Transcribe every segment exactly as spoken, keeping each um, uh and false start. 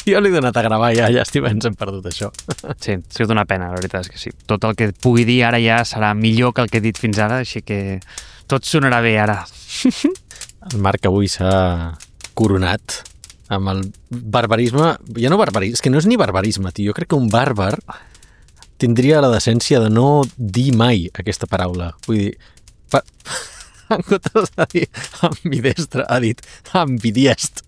Jo l'he donat a gravar ja, llàstima, ens hem perdut això. Sí, ha sigut una pena, la veritat és que sí. Tot el que pugui dir ara ja serà millor que el que he dit fins ara, així que tot sonarà bé ara. El Marc avui s'ha coronat amb el barbarisme, ja no barbarisme, és que no és ni barbarisme, tio. Jo crec que un bàrbar tindria la decència de no dir mai aquesta paraula. Vull dir, pa... en comptes de dir ambidestre, ha dit ambidiest.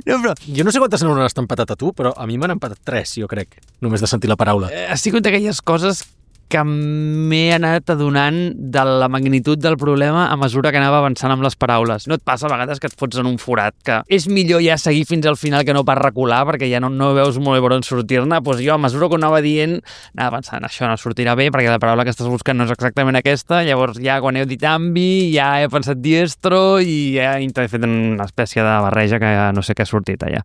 No, però... Jo no sé quantes neurones t'han patat a tu, però a mi m'han empatat tres, jo crec, només de sentir la paraula. Eh, ha sigut d'aquelles coses que m'he anat adonant de la magnitud del problema a mesura que anava avançant amb les paraules. No et passa a vegades que et fots en un forat, que és millor ja seguir fins al final que no pas recular, perquè ja no, no veus molt bé per on sortir-ne? Doncs jo, a mesura que ho anava dient, anava pensant, això no sortirà bé, perquè la paraula que estàs buscant no és exactament aquesta, llavors ja quan heu dit ambi, ja he pensat diestro i ja he fet una espècie de barreja que ja no sé què ha sortit allà.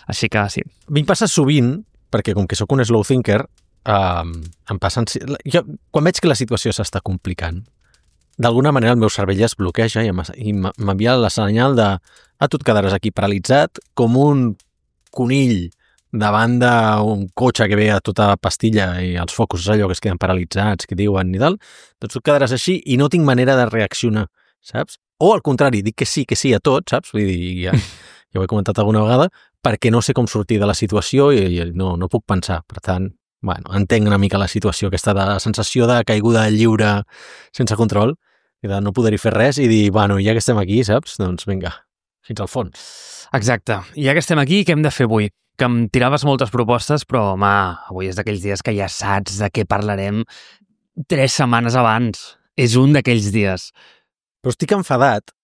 Així que sí. A mi em passa sovint, perquè com que sóc un slow thinker, Uh, em passen... Jo, quan veig que la situació s'està complicant, d'alguna manera el meu cervell es bloqueja i m'envia la senyal de ah, tu et quedaràs aquí paralitzat com un conill davant d'un cotxe que ve a tota pastilla i els focus allò que es queden paralitzats, que diuen i tal, doncs tu et quedaràs així i no tinc manera de reaccionar, saps? O al contrari, dic que sí, que sí a tot, saps? Vull dir, ja, ja ho he comentat alguna vegada, perquè no sé com sortir de la situació i, i no, no puc pensar, per tant... Bueno, entenc una mica la situació, aquesta de sensació de caiguda lliure sense control i de no poder-hi fer res i dir, bueno, ja que estem aquí, saps? Doncs vinga, fins al fons. Exacte. I ja que estem aquí, què hem de fer avui? Que em tiraves moltes propostes, però, home, avui és d'aquells dies que ja saps de què parlarem tres setmanes abans. És un d'aquells dies. Però estic enfadat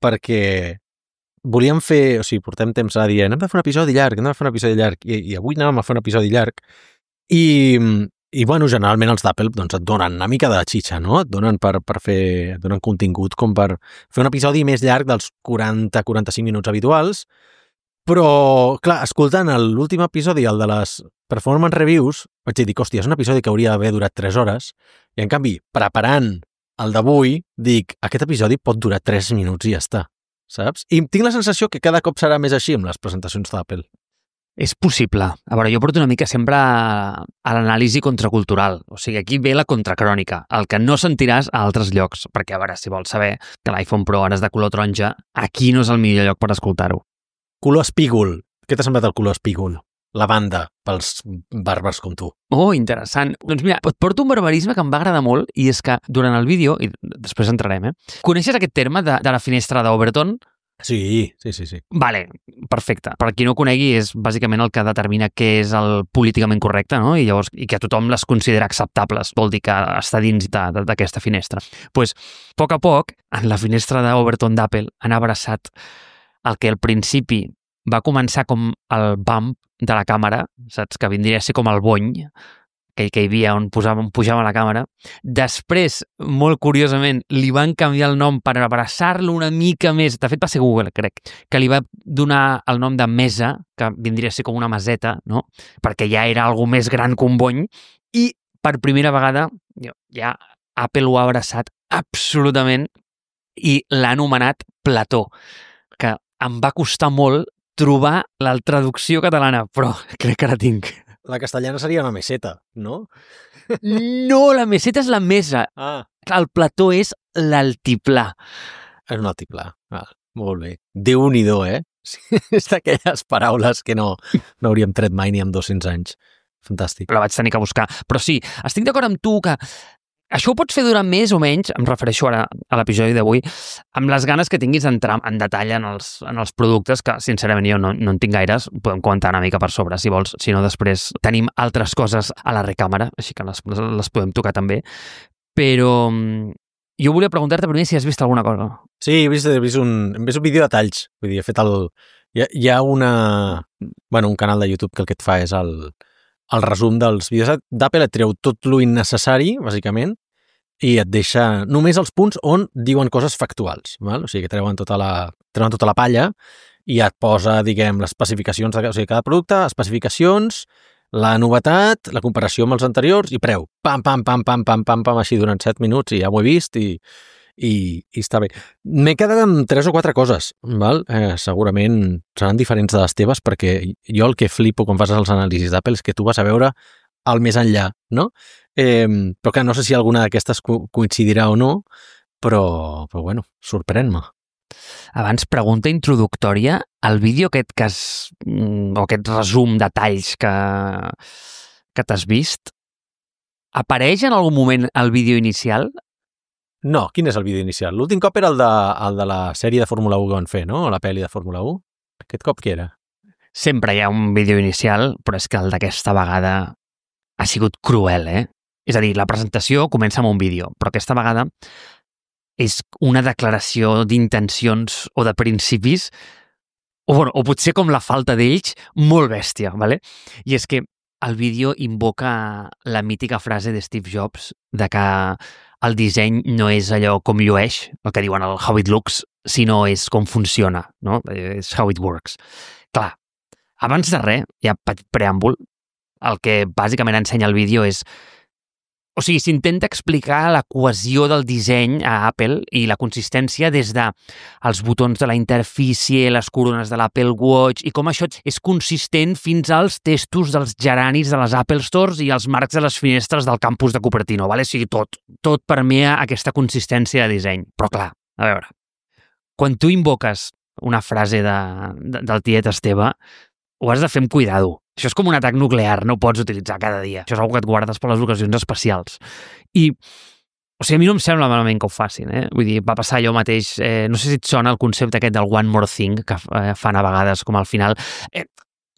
perquè volíem fer... O sigui, portem temps a dir, anem a fer un episodi llarg, anem a fer un episodi llarg, i, i avui anàvem a fer un episodi llarg. I, i bueno, generalment els d'Apple doncs, et donen una mica de xitxa, no? Et donen per, per fer, et donen contingut com per fer un episodi més llarg dels quaranta a quaranta-cinc minuts habituals, però, clar, escoltant l'últim episodi, el de les performance reviews, vaig dir, hòstia, és un episodi que hauria d'haver durat tres hores, i en canvi, preparant el d'avui, dic, aquest episodi pot durar tres minuts i ja està, saps? I tinc la sensació que cada cop serà més així amb les presentacions d'Apple. És possible. A veure, jo porto una mica sempre a, a l'anàlisi contracultural. O sigui, aquí ve la contracrònica, el que no sentiràs a altres llocs. Perquè, a veure, si vols saber que l'iPhone Pro ara és de color taronja, aquí no és el millor lloc per escoltar-ho. Color espígol. Què t'ha semblat el color espígol? La banda pels bàrbars com tu. Oh, interessant. Doncs mira, et porto un barbarisme que em va agradar molt i és que durant el vídeo, i després entrarem, eh? Coneixes aquest terme de, de la finestra d'Overton? Sí, sí, sí, sí. Vale, perfecte. Per qui no ho conegui, és bàsicament el que determina què és el políticament correcte, no? I llavors, i que tothom les considera acceptables. Vol dir que està dins d'aquesta finestra. Doncs, pues, a poc a poc, en la finestra d'Overton d'Apple han abraçat el que al principi va començar com el bump de la càmera, saps? Que vindria a ser com el bony, que, que hi havia on, posava, on pujava la càmera. Després, molt curiosament, li van canviar el nom per abraçar-lo una mica més. De fet, va ser Google, crec, que li va donar el nom de mesa, que vindria a ser com una maseta, no? Perquè ja era algo més gran que un bony. I per primera vegada, ja Apple ho ha abraçat absolutament i l'ha anomenat plató, que em va costar molt trobar la traducció catalana, però crec que la tinc. La castellana seria una meseta, no? No, la meseta és la mesa. Ah. El plató és l'altiplà. És un altiplà. Ah, molt bé. Déu-n'hi-do, eh? És d'aquelles paraules que no, no hauríem tret mai ni amb dos-cents anys. Fantàstic. La vaig tenir que buscar. Però sí, estic d'acord amb tu que això ho pots fer durant més o menys, em refereixo ara a l'episodi d'avui, amb les ganes que tinguis d'entrar en detall en els, en els productes, que sincerament jo no, no en tinc gaires, podem comentar una mica per sobre, si vols, si no després tenim altres coses a la recàmera, així que les, les podem tocar també, però jo volia preguntar-te primer si has vist alguna cosa. Sí, he vist, he vist, un, he vist un vídeo de talls, vull dir, he fet el... Hi ha, hi ha una... Bueno, un canal de YouTube que el que et fa és el... el resum dels vídeos d'Apple, et treu tot lo innecessari, bàsicament, i et deixa només els punts on diuen coses factuals, val? O sigui, que treuen tota la, treuen tota la palla i et posa, diguem, les especificacions de o sigui, cada producte, especificacions, la novetat, la comparació amb els anteriors i preu. Pam, pam, pam, pam, pam, pam, pam, així durant set minuts i ja ho he vist i, i, i està bé. M'he quedat amb tres o quatre coses, val? Eh, segurament seran diferents de les teves, perquè jo el que flipo quan fas els anàlisis d'Apple és que tu vas a veure el més enllà, no? Eh, però que no sé si alguna d'aquestes co coincidirà o no, però, però bueno, sorprèn-me. Abans, pregunta introductòria. El vídeo aquest que has, o aquest resum de talls que, que t'has vist, apareix en algun moment el vídeo inicial? No, quin és el vídeo inicial? L'últim cop era el de, el de la sèrie de Fórmula u que van fer, no? La pel·li de Fórmula u. Aquest cop què era? Sempre hi ha un vídeo inicial, però és que el d'aquesta vegada ha sigut cruel, eh? És a dir, la presentació comença amb un vídeo, però aquesta vegada és una declaració d'intencions o de principis, o, bueno, o potser com la falta d'ells, molt bèstia, ¿vale? I és que el vídeo invoca la mítica frase de Steve Jobs de que el disseny no és allò com llueix, el que diuen el how it looks, sinó és com funciona, no? És how it works. Clar, abans de res, hi ha petit preàmbul, el que bàsicament ensenya el vídeo és... O sigui, s'intenta explicar la cohesió del disseny a Apple i la consistència des de els botons de la interfície, les corones de l'Apple Watch i com això és consistent fins als testos dels geranis de les Apple Stores i els marcs de les finestres del campus de Cupertino, vale? O sigui, tot, tot permea aquesta consistència de disseny. Però clar, a veure, quan tu invoques una frase de, de, del tiet Esteve, ho has de fer amb cuidado. Això és com un atac nuclear, no ho pots utilitzar cada dia. Això és una que et guardes per les ocasions especials. I, o sigui, a mi no em sembla malament que ho facin, eh? Vull dir, va passar allò mateix, eh, no sé si et sona el concepte aquest del one more thing, que eh, fan a vegades com al final. Eh,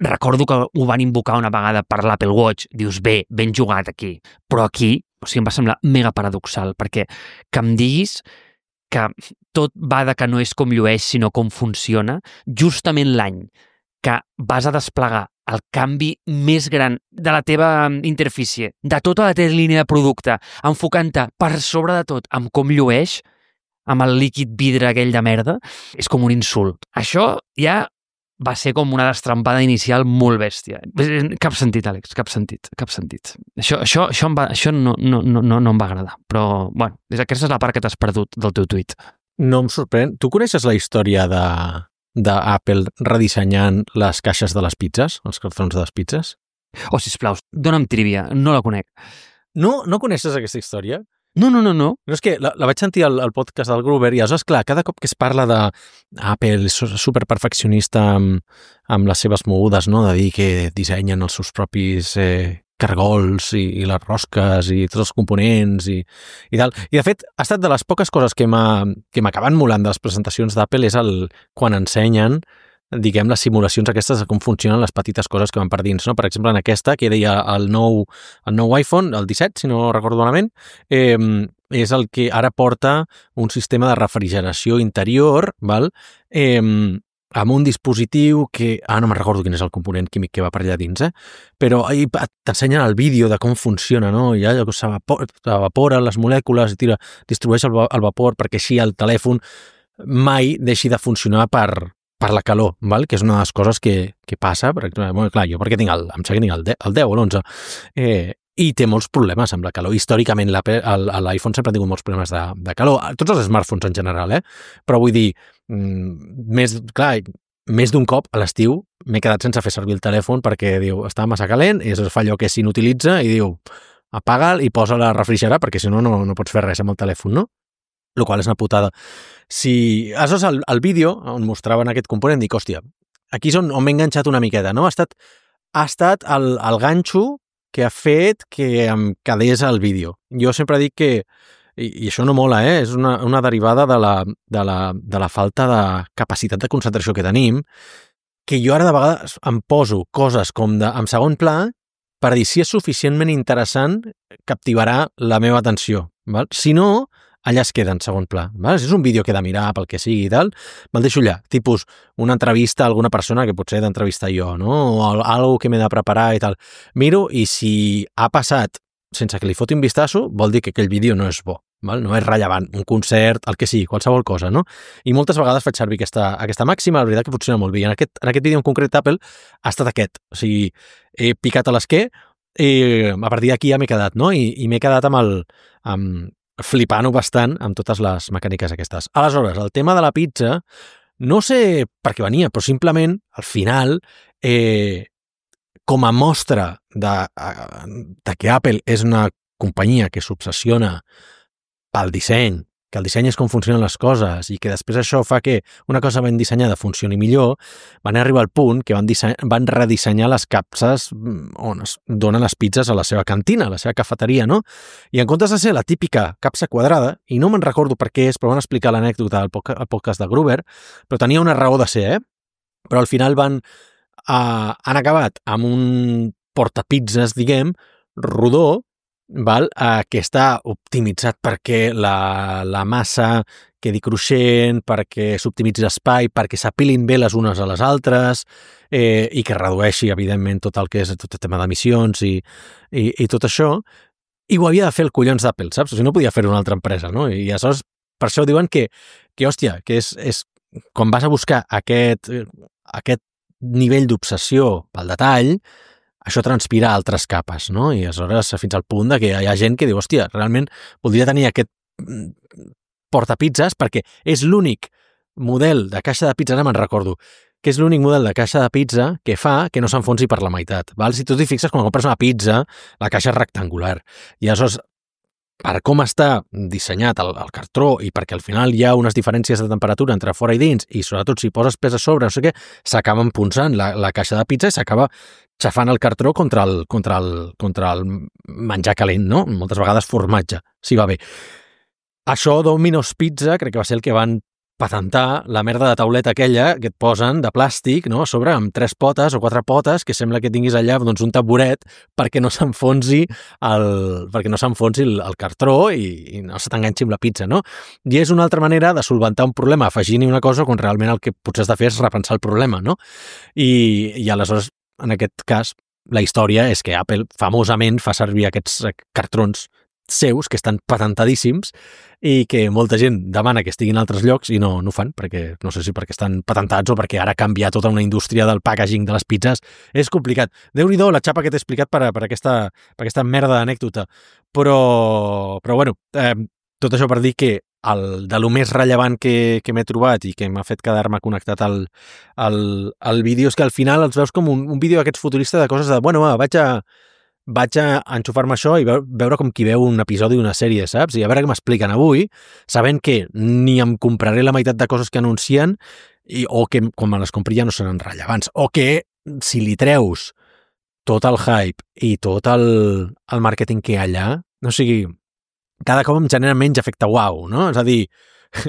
recordo que ho van invocar una vegada per l'Apple Watch, dius, bé, ben jugat aquí. Però aquí, o sigui, em va semblar mega paradoxal, perquè que em diguis que tot va de que no és com llueix, sinó com funciona, justament l'any que vas a desplegar el canvi més gran de la teva interfície, de tota la teva línia de producte, enfocant-te per sobre de tot amb com llueix, amb el líquid vidre aquell de merda, és com un insult. Això ja va ser com una destrampada inicial molt bèstia. Cap sentit, Àlex, cap sentit, cap sentit. Això, això, això, em va, això no, no, no, no em va agradar, però, bueno, aquesta és la part que t'has perdut del teu tuit. No em sorprèn. Tu coneixes la història de... d'Apple redissenyant les caixes de les pizzas, els cartrons de les pizzas? Oh, sisplau, dona'm trivia, no la conec. No? No coneixes aquesta història? No, no, no, no. No, és que la, la vaig sentir al, al podcast del Gruber i aleshores, clar, cada cop que es parla de Apple superperfeccionista amb, amb les seves mogudes, no? De dir que dissenyen els seus propis eh, cargols i, i les rosques i tots els components i, i tal. I de fet, ha estat de les poques coses que m'acaben molant de les presentacions d'Apple és el quan ensenyen, diguem, les simulacions aquestes de com funcionen les petites coses que van per dins, no? Per exemple, en aquesta, que deia el nou, el nou iPhone, el disset, si no recordo malament, eh, és el que ara porta un sistema de refrigeració interior, val? Eh, amb un dispositiu que... Ah, no me'n recordo quin és el component químic que va per allà dins, eh? Però ahí t'ensenyen el vídeo de com funciona, no? I allò que s'evaporen les molècules i tira, distribueix el, el vapor perquè així el telèfon mai deixi de funcionar per, per la calor, val? Que és una de les coses que, que passa. Per exemple, bueno, clar, jo perquè tinc el, em sembla que tinc el, el deu o l'onze, eh, i té molts problemes amb la calor. Històricament l'iPhone sempre ha tingut molts problemes de, de calor. Tots els smartphones en general, eh? Però vull dir, més, clar, més d'un cop a l'estiu m'he quedat sense fer servir el telèfon perquè diu, està massa calent, i es fa allò que s'inutilitza i diu, apaga'l i posa-la a refrigerar perquè si no, no, no pots fer res amb el telèfon, no? El qual és una putada. Si, aleshores, el, el vídeo on mostraven aquest component, dic, hòstia, aquí és on, on m'he enganxat una miqueta, no? Ha estat, ha estat el, el ganxo que ha fet que em quedés al vídeo. Jo sempre dic que, i, i això no mola, eh? És una, una derivada de la, de, la, de la falta de capacitat de concentració que tenim, que jo ara de vegades em poso coses com de, en segon pla per dir si és suficientment interessant captivarà la meva atenció. Val? Si no, allà es queda en segon pla. Val? Si és un vídeo que he de mirar pel que sigui i tal, me'l deixo allà. Tipus una entrevista a alguna persona que potser he d'entrevistar jo, no? O algo que m'he de preparar i tal. Miro i si ha passat sense que li foti un vistazo, vol dir que aquell vídeo no és bo. Val? No és rellevant. Un concert, el que sigui, qualsevol cosa, no? I moltes vegades faig servir aquesta, aquesta màxima, la veritat que funciona molt bé. I en aquest, en aquest vídeo en concret Apple ha estat aquest. O sigui, he picat a l'esquer i a partir d'aquí ja m'he quedat, no? I, i m'he quedat amb el... amb flipant-ho bastant amb totes les mecàniques aquestes. Aleshores, el tema de la pizza, no sé per què venia, però simplement, al final, eh, com a mostra de, de que Apple és una companyia que s'obsessiona pel disseny, que el disseny és com funcionen les coses i que després això fa que una cosa ben dissenyada funcioni millor, van arribar al punt que van, disseny, van redissenyar les capses on es donen les pizzas a la seva cantina, a la seva cafeteria, no? I en comptes de ser la típica capsa quadrada, i no me'n recordo per què és, però van explicar l'anècdota al podcast de Gruber, però tenia una raó de ser, eh? Però al final van, uh, han acabat amb un portapizzas, diguem, rodó, val? Uh, que està optimitzat perquè la, la massa quedi cruixent, perquè s'optimitzi l'espai, perquè s'apilin bé les unes a les altres eh, i que redueixi, evidentment, tot el que és tot el tema d'emissions i, i, i tot això. I ho havia de fer el collons d'Apple, saps? O sigui, no podia fer una altra empresa, no? I aleshores, per això diuen que, que hòstia, que és, és quan vas a buscar aquest, aquest nivell d'obsessió pel detall, això transpira altres capes, no? I aleshores fins al punt de que hi ha gent que diu, hòstia, realment voldria tenir aquest portapizzas perquè és l'únic model de caixa de pizza, no me'n recordo, que és l'únic model de caixa de pizza que fa que no s'enfonsi per la meitat. Val? Si tu t'hi fixes, quan compres una pizza, la caixa és rectangular. I aleshores, per com està dissenyat el, el cartró i perquè al final hi ha unes diferències de temperatura entre fora i dins i sobretot si poses pes a sobre, no sé què, s'acaba enfonsant la, la caixa de pizza i s'acaba xafant el cartró contra el, contra el, contra el menjar calent, no? Moltes vegades formatge, si va bé. Això Domino's Pizza crec que va ser el que van patentar, la merda de tauleta aquella que et posen de plàstic, no?, a sobre amb tres potes o quatre potes que sembla que tinguis allà doncs, un taburet perquè no s'enfonsi el, perquè no s'enfonsi el, el cartró i, i no se t'enganxi amb la pizza, no? I és una altra manera de solventar un problema afegint-hi una cosa quan realment el que potser has de fer és repensar el problema, no? I, i aleshores, en aquest cas, la història és que Apple famosament fa servir aquests cartrons seus, que estan patentadíssims i que molta gent demana que estiguin en altres llocs i no, no ho fan, perquè no sé si perquè estan patentats o perquè ara canviar tota una indústria del packaging de les pizzas és complicat. Déu-n'hi-do la xapa que t'he explicat per, per, aquesta, per aquesta merda d'anècdota. Però, però bueno, eh, tot això per dir que el, de lo més rellevant que, que m'he trobat i que m'ha fet quedar-me connectat al, al, al vídeo és que al final els veus com un, un vídeo d'aquests futuristes de coses de, bueno, va, vaig a vaig a enxufar-me això i veure com qui veu un episodi d'una sèrie, saps? I a veure què m'expliquen avui, sabent que ni em compraré la meitat de coses que anuncien i, o que quan me les compri ja no seran rellevants, o que si li treus tot el hype i tot el, el màrqueting que hi ha allà, no o sigui, cada cop em genera menys efecte uau, no? És a dir,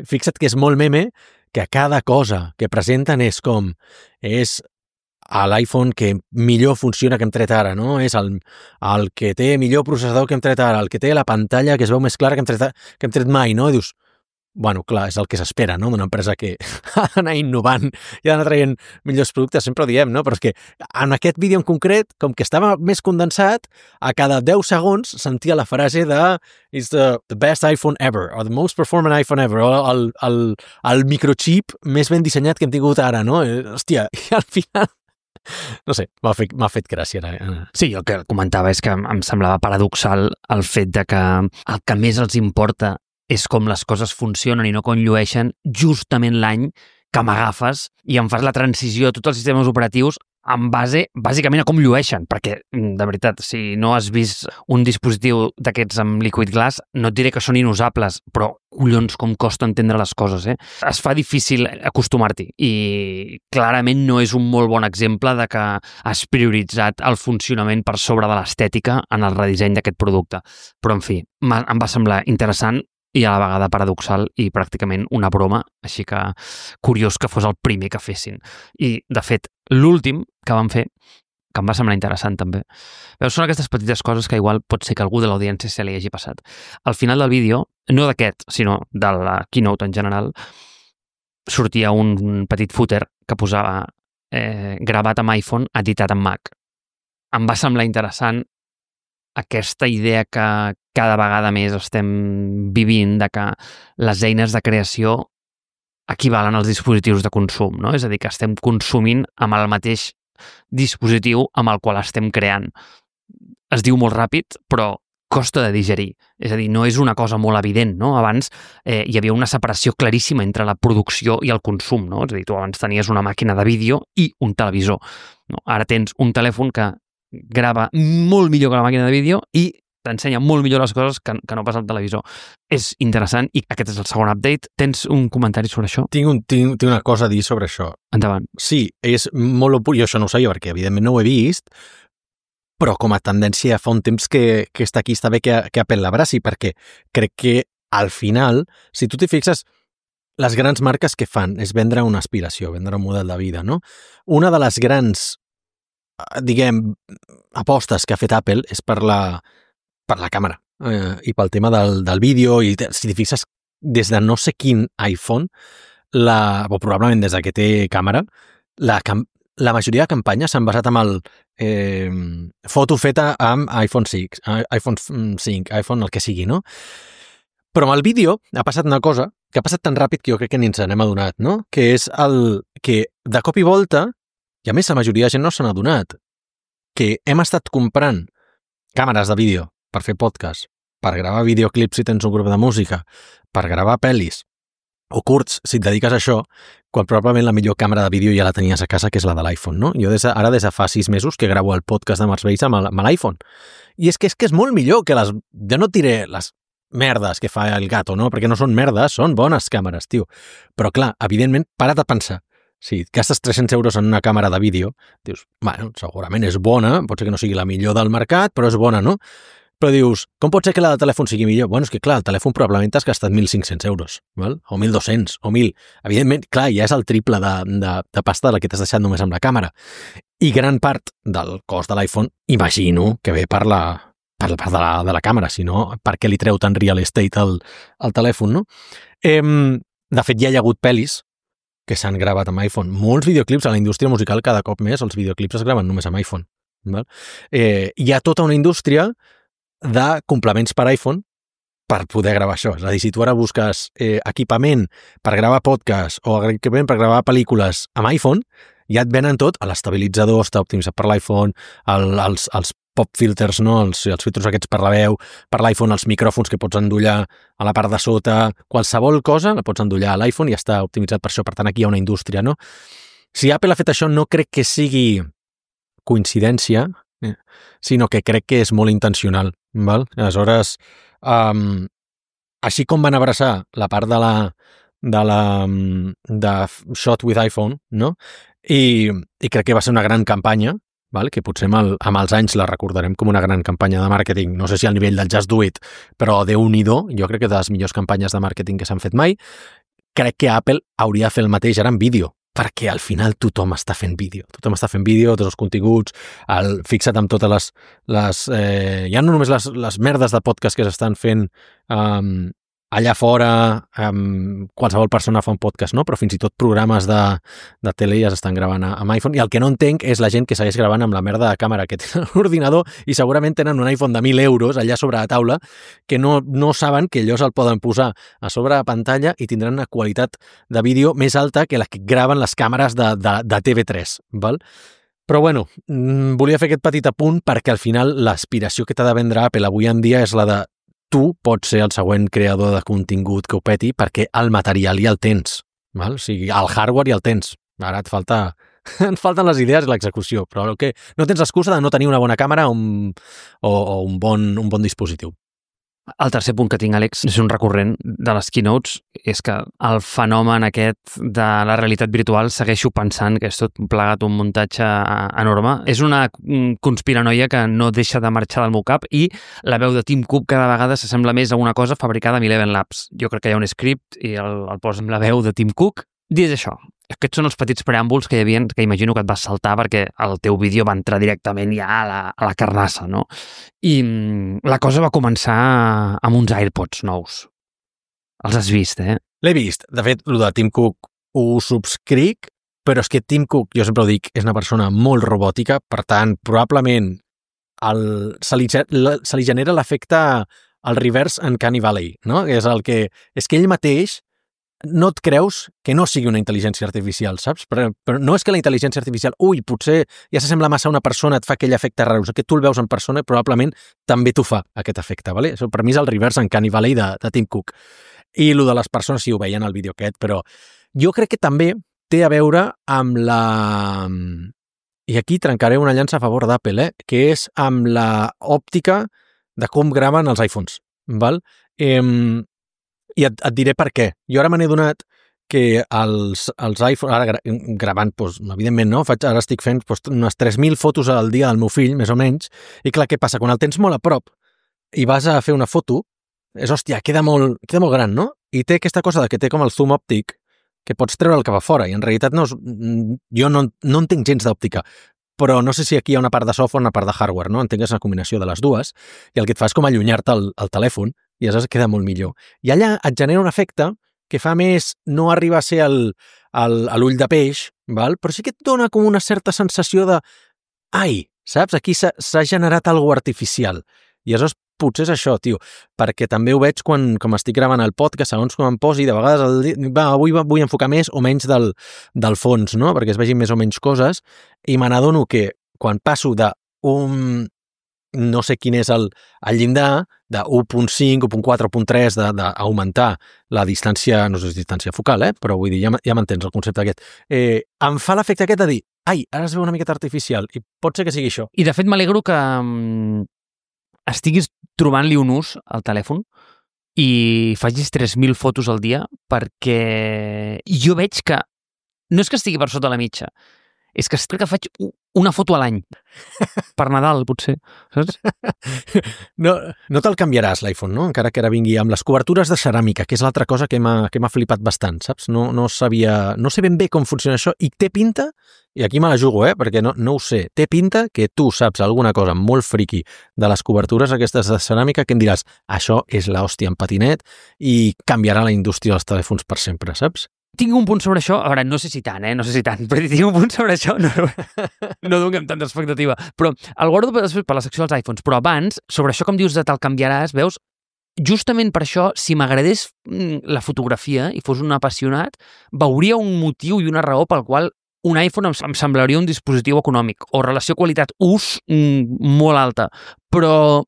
fixa't que és molt meme que cada cosa que presenten és com, és a l'iPhone que millor funciona que hem tret ara, no? És el, el que té millor processador que hem tret ara, el que té la pantalla que es veu més clara que hem tret, que hem tret mai, no? I dius, bueno, clar, és el que s'espera, no?, d'una empresa que ha d'anar innovant i ha d'anar traient millors productes, sempre ho diem, no? Però és que en aquest vídeo en concret, com que estava més condensat, a cada deu segons sentia la frase de it's the, the best iPhone ever, or the most performant iPhone ever, o el, el, el microchip més ben dissenyat que hem tingut ara, no? Hòstia, i al final no sé, m'ha fet, m'ha fet gràcia. Sí, el que comentava és que em semblava paradoxal el fet de que el que més els importa és com les coses funcionen i no com llueixen justament l'any que m'agafes i em fas la transició a tots els sistemes operatius en base, bàsicament, a com llueixen, perquè, de veritat, si no has vist un dispositiu d'aquests amb Liquid Glass, no et diré que són inusables, però, collons, com costa entendre les coses, eh? Es fa difícil acostumar-t'hi i clarament no és un molt bon exemple de que has prioritzat el funcionament per sobre de l'estètica en el redisseny d'aquest producte. Però, en fi, em va semblar interessant i a la vegada paradoxal i pràcticament una broma, així que curiós que fos el primer que fessin. I, de fet, l'últim que van fer, que em va semblar interessant també, veus, són aquestes petites coses que igual pot ser que algú de l'audiència se li hagi passat. Al final del vídeo, no d'aquest, sinó de la keynote en general, sortia un petit footer que posava eh, gravat amb iPhone, editat amb Mac. Em va semblar interessant aquesta idea que cada vegada més estem vivint de que les eines de creació equivalen als dispositius de consum, no? És a dir, que estem consumint amb el mateix dispositiu amb el qual estem creant. Es diu molt ràpid, però costa de digerir. És a dir, no és una cosa molt evident, no? Abans eh, hi havia una separació claríssima entre la producció i el consum, no? És a dir, tu abans tenies una màquina de vídeo i un televisor. No? Ara tens un telèfon que grava molt millor que la màquina de vídeo i t'ensenya molt millor les coses que, que no passa al televisor. És interessant i aquest és el segon update. Tens un comentari sobre això? Tinc, un, tinc, tinc una cosa a dir sobre això. Endavant. Sí, és molt opor... Jo això no ho sabia perquè evidentment no ho he vist, però com a tendència fa un temps que, que està aquí, està bé que, que Apple l'abraci, perquè crec que al final, si tu t'hi fixes, les grans marques que fan és vendre una aspiració, vendre un model de vida, no? Una de les grans, diguem, apostes que ha fet Apple és per la per la càmera eh, i pel tema del, del vídeo i si t'hi fixes des de no sé quin iPhone la, o probablement des de que té càmera la, la majoria de campanyes s'han basat en el eh, foto feta amb iPhone sis, iPhone cinc, iPhone el que sigui, no? Però amb el vídeo ha passat una cosa que ha passat tan ràpid que jo crec que ni ens n'hem adonat, no? Que és el que de cop i volta, i a més la majoria de gent no se n'ha adonat, que hem estat comprant càmeres de vídeo per fer podcast, per gravar videoclips si tens un grup de música, per gravar pel·lis o curts si et dediques a això, quan probablement la millor càmera de vídeo ja la tenies a casa, que és la de l'iPhone, no? Jo des de, ara des de fa sis mesos que gravo el podcast de Mars Bass amb, amb l'iPhone. I és que és que és molt millor que les... Jo no diré les merdes que fa el gato, no? Perquè no són merdes, són bones càmeres, tio. Però clar, evidentment, para't a pensar. Si et gastes tres-cents euros en una càmera de vídeo, dius, bueno, segurament és bona, pot ser que no sigui la millor del mercat, però és bona, no? Però dius, com pot ser que la de telèfon sigui millor? Bueno, és que clar, el telèfon probablement t'has gastat mil cinc-cents euros, val? O mil dos-cents, o mil. Evidentment, clar, ja és el triple de, de, de pasta de la que t'has deixat només amb la càmera. I gran part del cost de l'iPhone, imagino que ve per la, per la part de la, de la càmera, si no, per què li treu tant real estate al, al telèfon, no? Eh, de fet, ja hi ha hagut pel·lis que s'han gravat amb iPhone. Molts videoclips a la indústria musical, cada cop més, els videoclips es graven només amb iPhone. Val? Eh, hi ha tota una indústria de complements per iPhone per poder gravar això. És a dir, si tu ara busques eh, equipament per gravar podcast o equipament per gravar pel·lícules amb iPhone, ja et venen tot, l'estabilitzador està optimitzat per l'iPhone, el, els, els pop filters, no? els, els filtros aquests per la veu, per l'iPhone, els micròfons que pots endollar a la part de sota, qualsevol cosa la pots endollar a l'iPhone i està optimitzat per això. Per tant, aquí hi ha una indústria, no? Si Apple ha fet això, no crec que sigui coincidència, eh, sinó que crec que és molt intencional. Val? Aleshores, um, així com van abraçar la part de la de la de Shot with iPhone, no? I, i crec que va ser una gran campanya, val? Que potser amb, el, amb els anys la recordarem com una gran campanya de màrqueting, no sé si al nivell del Just Do It, però Déu-n'hi-do, jo crec que de les millors campanyes de màrqueting que s'han fet mai. Crec que Apple hauria de fer el mateix ara en vídeo, perquè al final tothom està fent vídeo. Tothom està fent vídeo, tots els continguts, el, fixa't amb totes les... les eh, ja no només les, les merdes de podcast que s'estan fent um, allà fora, um, qualsevol persona fa un podcast, no? Però fins i tot programes de, de tele ja s'estan gravant amb iPhone. I el que no entenc és la gent que segueix gravant amb la merda de càmera que tenen l'ordinador i segurament tenen un iPhone de mil euros allà sobre la taula que no, no saben que allò se'l poden posar a sobre la pantalla i tindran una qualitat de vídeo més alta que la que graven les càmeres de, de, de T V tres, val? Però bueno, volia fer aquest petit apunt perquè al final l'aspiració que t'ha de vendre Apple avui en dia és la de tu pots ser el següent creador de contingut que ho peti perquè el material ja el tens, val? O sigui, el hardware ja el tens. Ara et falta... et falten les idees i l'execució, però el que no tens l'excusa de no tenir una bona càmera o un, o, o un, bon, un bon dispositiu. El tercer punt que tinc, Àlex, és un recurrent de les keynotes, és que el fenomen aquest de la realitat virtual segueixo pensant que és tot plegat un muntatge enorme. És una conspiranoia que no deixa de marxar del meu cap i la veu de Tim Cook cada vegada s'assembla més a una cosa fabricada amb Eleven Labs. Jo crec que hi ha un script i el, el posa amb la veu de Tim Cook. Dit això, aquests són els petits preàmbuls que hi havia, que imagino que et vas saltar perquè el teu vídeo va entrar directament ja a la, a la carnassa, no? I la cosa va començar amb uns AirPods nous. Els has vist, eh? L'he vist. De fet, el de Tim Cook ho subscric, però és que Tim Cook, jo sempre ho dic, és una persona molt robòtica, per tant, probablement el, se, li, se li genera l'efecte al reverse en Canny Valley, no? És el que, és que ell mateix no et creus que no sigui una intel·ligència artificial, saps? Però, però no és que la intel·ligència artificial, ui, potser ja s'assembla massa a una persona, et fa aquell efecte raro, que tu el veus en persona i probablement també t'ho fa, aquest efecte, ¿vale? Això per mi és el reverse uncanny valley de, de Tim Cook. I el de les persones, sí, ho veien al vídeo aquest, però jo crec que també té a veure amb la... I aquí trencaré una llança a favor d'Apple, eh? Que és amb la òptica de com graven els iPhones, val? Eh, I et, et diré per què. Jo ara me n'he donat que els, els iPhones, ara gra, gravant, doncs, evidentment, no? Faig, ara estic fent doncs, unes tres mil fotos al dia del meu fill, més o menys, i clar, què passa? Quan el tens molt a prop i vas a fer una foto, és, hòstia, queda molt, queda molt gran, no? I té aquesta cosa de que té com el zoom òptic, que pots treure el cap a fora, i en realitat no és, jo no, no entenc gens d'òptica, però no sé si aquí hi ha una part de software o una part de hardware, no? Entenc que és una combinació de les dues, i el que et fa és com allunyar-te el, el telèfon, i aleshores queda molt millor. I allà et genera un efecte que fa més, no arriba a ser el, el, l'ull de peix, val? Però sí que et dona com una certa sensació de ai, saps? Aquí s'ha generat alguna artificial. I aleshores potser és això, tio, perquè també ho veig quan com estic gravant el podcast, segons com em posi, de vegades el, va, avui vull enfocar més o menys del, del fons, no? Perquè es vegin més o menys coses, i me n'adono que quan passo d'un, no sé quin és el, el llindar, de u punt cinc, u punt quatre, u punt tres, d'augmentar la distància, no sé si és distància focal, eh? Però vull dir, ja, ja m'entens el concepte aquest, eh, em fa l'efecte aquest de dir, ai, ara es veu una miqueta artificial, i pot ser que sigui això. I de fet m'alegro que estiguis trobant-li un ús al telèfon i facis tres mil fotos al dia, perquè jo veig que no és que estigui per sota la mitja, és que crec que faig una foto a l'any. Per Nadal, potser. Saps? No, no te'l canviaràs, l'iPhone, no? Encara que ara vingui amb les cobertures de ceràmica, que és l'altra cosa que m'ha que m'ha flipat bastant, saps? No, no sabia... No sé ben bé com funciona això, i té pinta, i aquí me la jugo, eh? Perquè no, no ho sé, té pinta que tu saps alguna cosa molt friqui de les cobertures aquestes de ceràmica que em diràs, això és l'hòstia en patinet i canviarà la indústria dels telèfons per sempre, saps? Tinc un punt sobre això, a veure, no sé si tant, eh? No sé si tant, però tinc un punt sobre això, no, no donem tanta expectativa, però el guardo després per la secció dels iPhones, però abans, sobre això com dius de te'l canviaràs, veus, justament per això, si m'agradés la fotografia i fos un apassionat, veuria un motiu i una raó pel qual un iPhone em semblaria un dispositiu econòmic o relació qualitat-ús molt alta, però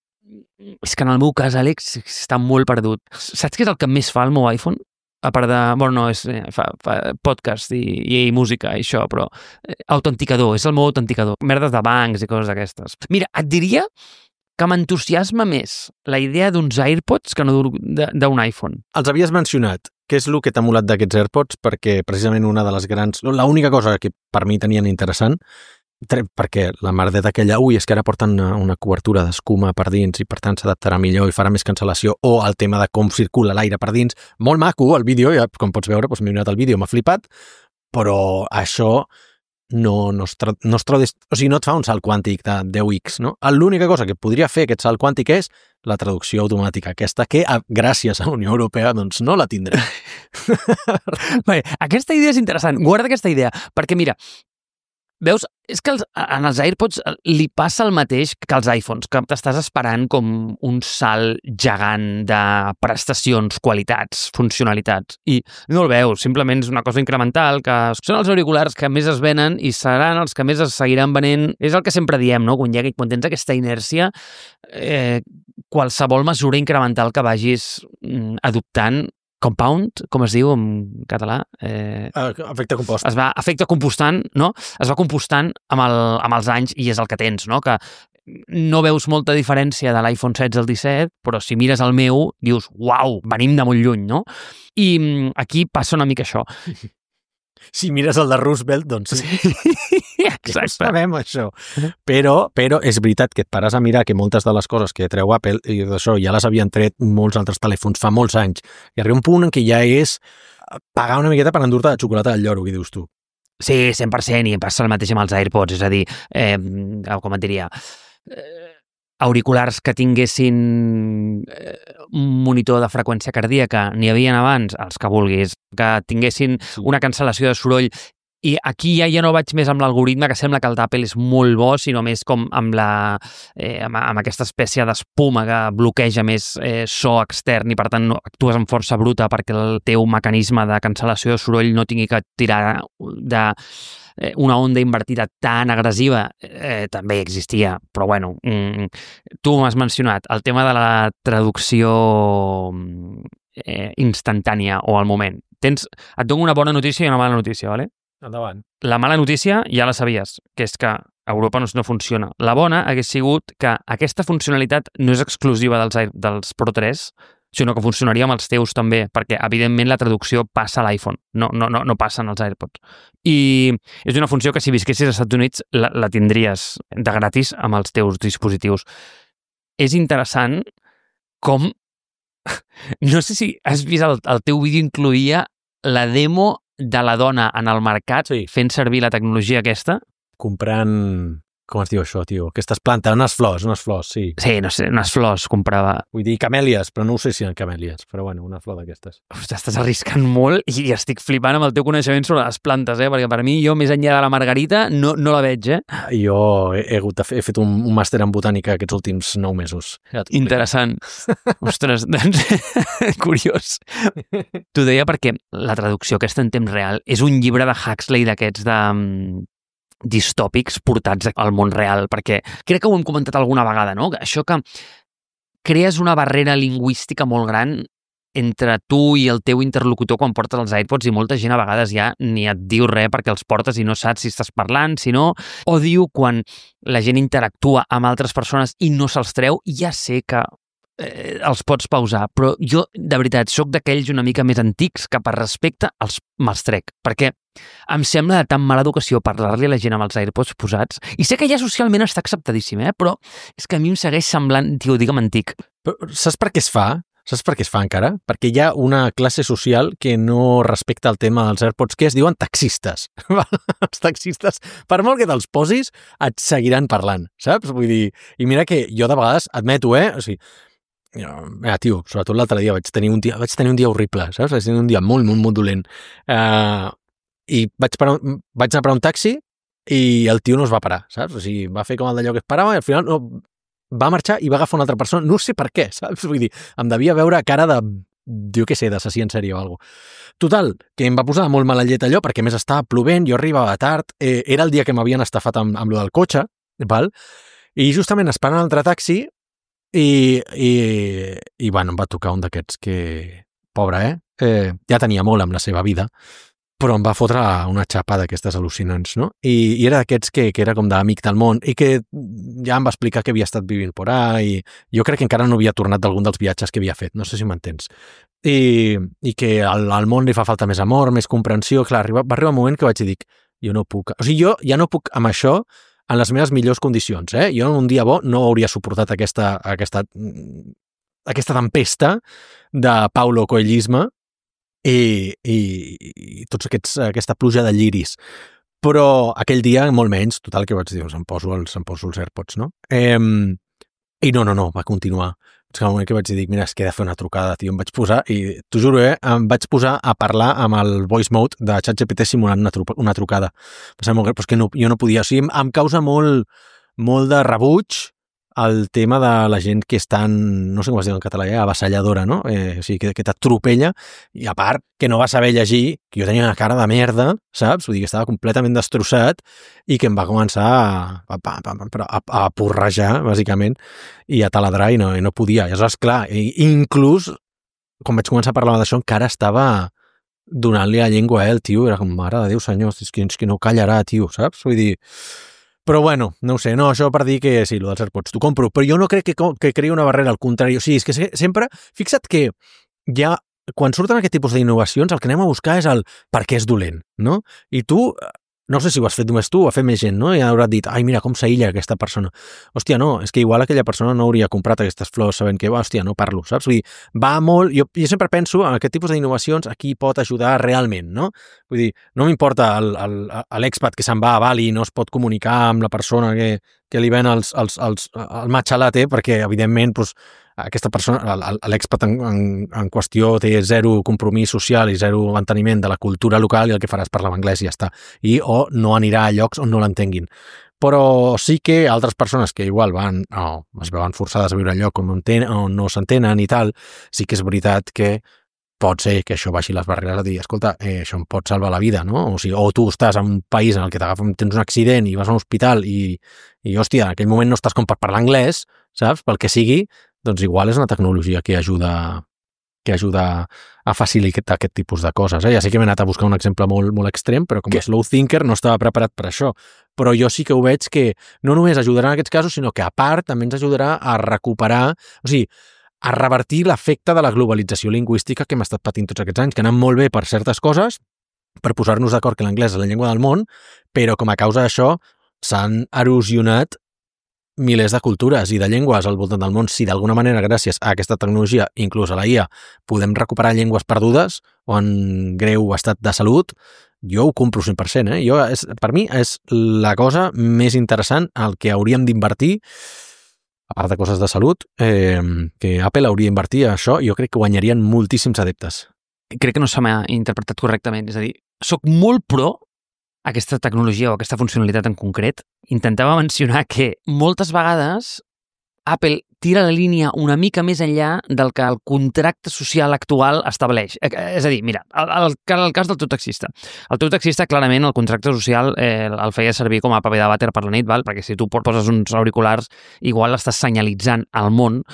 és que en el meu cas, Àlex, està molt perdut. Saps què és el que més fa el meu iPhone? A part de... Bueno, no, és, fa, fa podcast i, i música i això, però eh, autenticador, és el meu autenticador. Merdes de bancs i coses d'aquestes. Mira, et diria que m'entusiasma més la idea d'uns AirPods que no d'un iPhone. Els havies mencionat. Què és el que t'ha molat d'aquests AirPods? Perquè precisament una de les grans... L'única cosa que per mi tenien interessant, perquè la merdeta aquella, ui, és que ara porten una, una cobertura d'escuma per dins i per tant s'adaptarà millor i farà més cancel·lació, o el tema de com circula l'aire per dins, molt maco el vídeo, ja, com pots veure, doncs m'he mirat el vídeo, m'ha flipat, però això no, no, es tra no, es tra o sigui, no et fa un salt quàntic de deu ics, no? L'única cosa que podria fer aquest salt quàntic és la traducció automàtica, aquesta que, gràcies a la Unió Europea, doncs no la tindré. Bé, aquesta idea és interessant, guarda aquesta idea, perquè mira, veus, és que els, en els AirPods li passa el mateix que als iPhones, que t'estàs esperant com un salt gegant de prestacions, qualitats, funcionalitats, i no el veus, simplement és una cosa incremental, que són els auriculars que més es venen i seran els que més es seguiran venent. És el que sempre diem, no? Quan, hi ha, quan tens aquesta inèrcia, eh, qualsevol mesura incremental que vagis mm, adoptant compound, com es diu en català? Eh, efecte compost. Es va, efecte compostant, no? Es va compostant amb, el, amb els anys i és el que tens, no? Que no veus molta diferència de l'iPhone setze al disset, però si mires el meu, dius, uau, venim de molt lluny, no? I aquí passa una mica això. Si mires el de Roosevelt, doncs sí. Exacte. Ja sabem això. Però, però és veritat que et pares a mirar que moltes de les coses que treu Apple i d'això ja les havien tret molts altres telèfons fa molts anys. I arriba un punt en què ja és pagar una miqueta per endur-te de xocolata del lloro, què dius tu? Sí, cent per cent, i em passa el mateix amb els AirPods, és a dir, eh, com et diria, eh, auriculars que tinguessin eh, un monitor de freqüència cardíaca, n'hi havia abans, els que vulguis, que tinguessin una cancel·lació de soroll I aquí ja, ja no vaig més amb l'algoritme, que sembla que el d'Apple és molt bo, sinó més com amb, la, eh, amb, amb aquesta espècie d'espuma que bloqueja més eh, so extern i per tant no, actues amb força bruta perquè el teu mecanisme de cancel·lació de soroll no tingui que tirar de eh, una onda invertida tan agressiva. Eh, també existia, però bueno, mm, tu m'has mencionat el tema de la traducció eh, instantània o al moment. Tens, et dono una bona notícia i una mala notícia, ¿vale? Endavant. La mala notícia ja la sabies, que és que a Europa no, no funciona. La bona hagués sigut que aquesta funcionalitat no és exclusiva dels, dels Pro tres, sinó que funcionaria amb els teus també, perquè evidentment la traducció passa a l'iPhone, no, no, no, no passa en els AirPods. I és una funció que si visquessis als Estats Units la, la tindries de gratis amb els teus dispositius. És interessant com... No sé si has vist el, el teu vídeo incloïa la demo de la dona en el mercat sí. fent servir la tecnologia aquesta. Comprant... Com es diu això, tio? Aquestes plantes, unes flors, unes flors, sí. Sí, no sé, unes flors comprava. Vull dir camèlies, però no ho sé si eren camèlies, però bueno, una flor d'aquestes. T'estàs arriscant molt i estic flipant amb el teu coneixement sobre les plantes, eh? Perquè per mi, jo, més enllà de la margarita, no, no la veig, eh? Jo he, he, hagut de fer, he fet un, un màster en botànica aquests últims nou mesos. Ja interessant. Ostres, doncs, curiós. T'ho deia perquè la traducció aquesta en temps real és un llibre de Huxley d'aquests de... distòpics portats al món real, perquè crec que ho hem comentat alguna vegada, no? Això que crees una barrera lingüística molt gran entre tu i el teu interlocutor quan portes els AirPods i molta gent a vegades ja ni et diu res perquè els portes i no saps si estàs parlant, si no, o diu quan la gent interactua amb altres persones i no se'ls treu, ja sé que eh, els pots pausar, però jo, de veritat, sóc d'aquells una mica més antics que per respecte els me'ls trec, perquè em sembla de tan mala educació parlar-li a la gent amb els AirPods posats. I sé que ja socialment està acceptadíssim, eh? Però és que a mi em segueix semblant, tio, digue'm antic. Però saps per què es fa? Saps per què es fa encara? Perquè hi ha una classe social que no respecta el tema dels AirPods, que es diuen taxistes. Els taxistes, per molt que te'ls posis, et seguiran parlant, saps? Vull dir, i mira que jo de vegades admeto, eh? O sigui, mira, tio, sobretot l'altre dia vaig tenir un dia, vaig tenir un dia horrible, saps? Vaig tenir un dia molt, molt, molt dolent. Eh... Uh, i vaig, parar, vaig anar a parar un taxi i el tio no es va parar, saps? O sigui, va fer com el d'allò que es parava i al final no, va marxar i va agafar una altra persona, no sé per què, saps? Vull dir, em devia veure cara de, jo què sé, d'assassí en sèrie o alguna cosa. Total, que em va posar molt mala llet allò, perquè més estava plovent, jo arribava tard, eh, era el dia que m'havien estafat amb, amb lo del cotxe, val? I justament esperant un altre taxi i, i, i bueno, em va tocar un d'aquests que, pobre, eh? eh? Ja tenia molt amb la seva vida, però em va fotre una xapa d'aquestes al·lucinants, no? I, i era d'aquests que, que era com d'amic del món i que ja em va explicar que havia estat vivint por ahí i jo crec que encara no havia tornat d'algun dels viatges que havia fet, no sé si m'entens. I, i que al, al món li fa falta més amor, més comprensió. Clar, arriba, va arribar un moment que vaig dir, jo no puc... O sigui, jo ja no puc amb això en les meves millors condicions, eh? Jo en un dia bo no hauria suportat aquesta, aquesta, aquesta tempesta de Paulo Coelhisme I, i, i tots aquests, aquesta pluja de lliris. Però aquell dia, molt menys, total, que vaig dir, doncs em poso els, em poso els AirPods, no? Eh, I no, no, no, va continuar. És que al moment que vaig dir, mira, és que he de fer una trucada, tio, em vaig posar, i t'ho juro, eh, em vaig posar a parlar amb el voice mode de ChatGPT simulant una, tru una trucada. Molt greu, però és que no, jo no podia. O sigui, em, em causa molt, molt de rebuig el tema de la gent que és tan, no sé com es diu en català, eh, avassalladora, no? Eh, o sigui, que, que t'atropella, i a part que no va saber llegir, que jo tenia una cara de merda, saps? Vull dir que estava completament destrossat i que em va començar a, a, a, a, a porrejar, bàsicament, i a taladrar i no, i no podia. I aleshores, clar, i, inclús, quan vaig començar a parlar d'això, encara estava donant-li la llengua a ell, tio, era com, mare de Déu, senyor, és que, és que no callarà, tio, saps? Vull dir... Però bueno, no ho sé, no, això per dir que sí, el dels AirPods t'ho compro, però jo no crec que, que creï una barrera, al contrari, o sigui, és que sempre, fixa't que ja, quan surten aquest tipus d'innovacions, el que anem a buscar és el per què és dolent, no? I tu, no sé si ho has fet només tu, ho ha fet més gent, no? I haurà dit, ai, mira, com s'aïlla aquesta persona. Hòstia, no, és que igual aquella persona no hauria comprat aquestes flors sabent que, hòstia, no parlo, saps? Vull dir, va molt... Jo, jo sempre penso en aquest tipus d'innovacions a qui pot ajudar realment, no? Vull dir, no m'importa l'expat que se'n va a Bali i no es pot comunicar amb la persona que, que li ven els, els, els, el matcha latte, perquè, evidentment, doncs, aquesta persona, l'expat en, en, en qüestió té zero compromís social i zero manteniment de la cultura local i el que farà és parlar anglès i ja està. I o no anirà a llocs on no l'entenguin. Però sí que altres persones que igual van, o es veuen forçades a viure en lloc on no, enten, on no s'entenen i tal, sí que és veritat que pot ser que això baixi les barreres a dir, escolta, eh, això em pot salvar la vida, no? O sigui, o tu estàs en un país en el que tens un accident i vas a un hospital i, i hòstia, en aquell moment no estàs com per parlar anglès, saps? Pel que sigui, doncs igual és una tecnologia que ajuda que ajuda a facilitar aquest tipus de coses. Eh? Ja sé que m'he anat a buscar un exemple molt, molt extrem, però com a slow thinker no estava preparat per això. Però jo sí que ho veig que no només ajudarà en aquests casos, sinó que a part també ens ajudarà a recuperar, o sigui, a revertir l'efecte de la globalització lingüística que hem estat patint tots aquests anys, que ha anat molt bé per certes coses, per posar-nos d'acord que l'anglès és la llengua del món, però com a causa d'això s'han erosionat milers de cultures i de llengües al voltant del món. Si d'alguna manera, gràcies a aquesta tecnologia, inclús a la I A, podem recuperar llengües perdudes o en greu estat de salut, jo ho compro cent per cent. Eh? Jo, és, per mi és la cosa més interessant al que hauríem d'invertir, a part de coses de salut, eh, que Apple hauria d'invertir a això, jo crec que guanyarien moltíssims adeptes. Crec que no se m'ha interpretat correctament. És a dir, soc molt pro aquesta tecnologia o aquesta funcionalitat en concret. Intentava mencionar que moltes vegades Apple tira la línia una mica més enllà del que el contracte social actual estableix. És a dir, mira, el, el, el cas del teu taxista. El teu taxista, clarament, el contracte social eh, el feia servir com a paper de vàter per la nit, val? Perquè si tu poses uns auriculars, igual estàs senyalitzant al món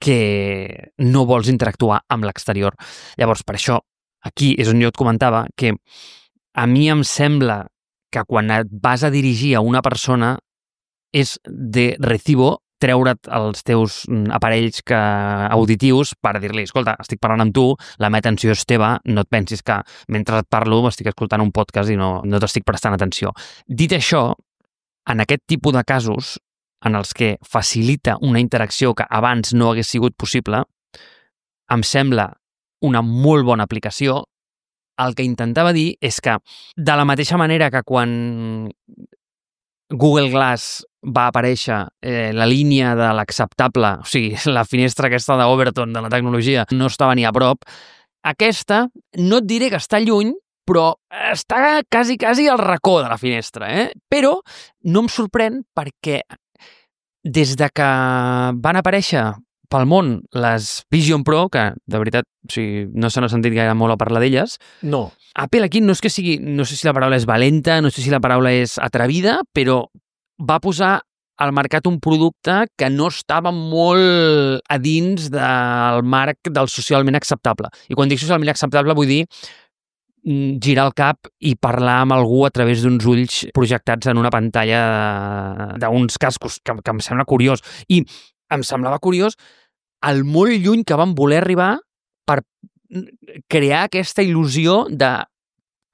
que no vols interactuar amb l'exterior. Llavors, per això, aquí és on jo et comentava que a mi em sembla que quan et vas a dirigir a una persona és de recibo treure't els teus aparells que, auditius per dir-li, escolta, estic parlant amb tu, la meva atenció és teva, no et pensis que mentre et parlo estic escoltant un podcast i no, no t'estic prestant atenció. Dit això, en aquest tipus de casos en els que facilita una interacció que abans no hagués sigut possible, em sembla una molt bona aplicació. El que intentava dir és que, de la mateixa manera que quan Google Glass va aparèixer eh, la línia de l'acceptable, o sigui, la finestra aquesta d'Overton de la tecnologia no estava ni a prop, aquesta, no et diré que està lluny, però està quasi, quasi al racó de la finestra, eh? Però no em sorprèn perquè des de que van aparèixer pel món les Vision Pro, que de veritat, o sigui, no se n'ha sentit gaire molt a parlar d'elles. No. Apple aquí no és que sigui, no sé si la paraula és valenta, no sé si la paraula és atrevida, però va posar al mercat un producte que no estava molt a dins del marc del socialment acceptable. I quan dic socialment acceptable vull dir girar el cap i parlar amb algú a través d'uns ulls projectats en una pantalla d'uns cascos, que, que em sembla curiós. I em semblava curiós el molt lluny que van voler arribar per crear aquesta il·lusió de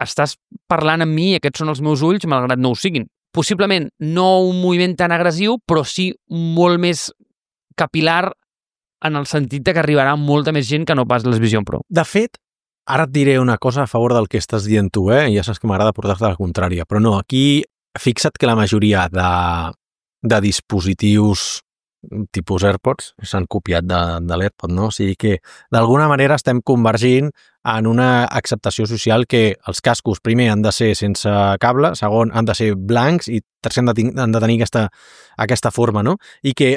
estàs parlant amb mi i aquests són els meus ulls malgrat no ho siguin. Possiblement no un moviment tan agressiu, però sí molt més capilar en el sentit de que arribarà molta més gent que no pas les Vision Pro. De fet, ara et diré una cosa a favor del que estàs dient tu, eh? Ja saps que m'agrada portar-te a la contrària, però no, aquí fixa't que la majoria de, de dispositius tipus AirPods s'han copiat de, de l'AirPod, no? O sigui que d'alguna manera estem convergint en una acceptació social que els cascos primer han de ser sense cable, segon han de ser blancs i tercer han de, han de tenir aquesta, aquesta forma, no? I que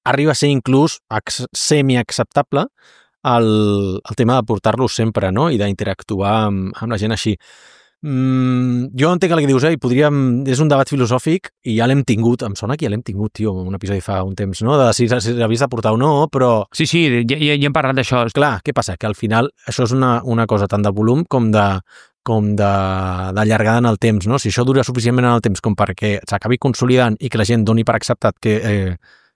arriba a ser inclús semi-acceptable el, el tema de portar-los sempre, no? I d'interactuar amb, amb la gent així. Mm, jo entenc el que dius, eh? I podríem... És un debat filosòfic i ja l'hem tingut. Em sona que ja l'hem tingut, tio, un episodi fa un temps, no? De si, si l'havies de portar o no, però... Sí, sí, ja, ja, ja hem parlat d'això. Clar, què passa? Que al final això és una, una cosa tant de volum com de com de, de llargada en el temps, no? Si això dura suficientment en el temps com perquè s'acabi consolidant i que la gent doni per acceptat que eh,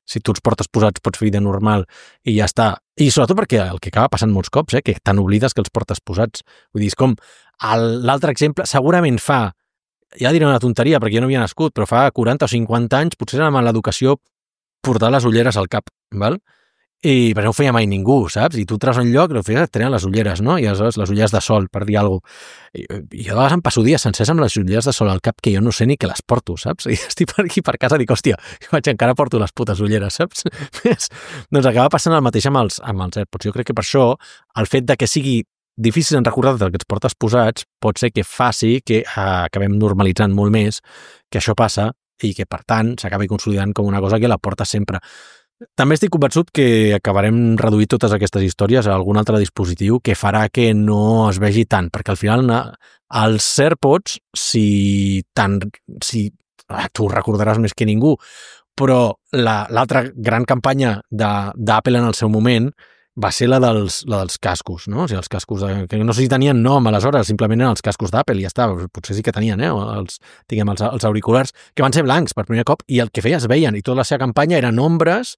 si tu els portes posats pots fer vida normal i ja està. I sobretot perquè el que acaba passant molts cops, eh, que te n'oblides que els portes posats. Vull dir, és com l'altre exemple, segurament fa, ja diré una tonteria perquè jo no havia nascut, però fa quaranta o cinquanta anys potser amb l'educació portar les ulleres al cap, val? i perquè no ho feia mai ningú, saps? I tu treus un lloc i no feies, et treien les ulleres, no? I aleshores les ulleres de sol, per dir alguna cosa. I, i jo de vegades em passo dies sencers amb les ulleres de sol al cap que jo no sé ni que les porto, saps? I estic per aquí per casa i dic, hòstia, vaig, encara porto les putes ulleres, saps? Doncs acaba passant el mateix amb els, amb els AirPods. Jo crec que per això el fet de que sigui difícil en recordar del que ens portes posats pot ser que faci que eh, acabem normalitzant molt més que això passa i que, per tant, s'acabi consolidant com una cosa que la porta sempre. També estic convençut que acabarem reduint totes aquestes històries a algun altre dispositiu que farà que no es vegi tant, perquè al final els AirPods, si tant, si ah, tu recordaràs més que ningú, però l'altra la, gran campanya d'Apple en el seu moment va ser la dels, la dels cascos, no? O sigui, els cascos, de, que no sé si tenien nom aleshores, simplement eren els cascos d'Apple i ja està, potser sí que tenien, eh? Els, diguem, els, els auriculars, que van ser blancs per primer cop i el que feia es veien, i tota la seva campanya eren ombres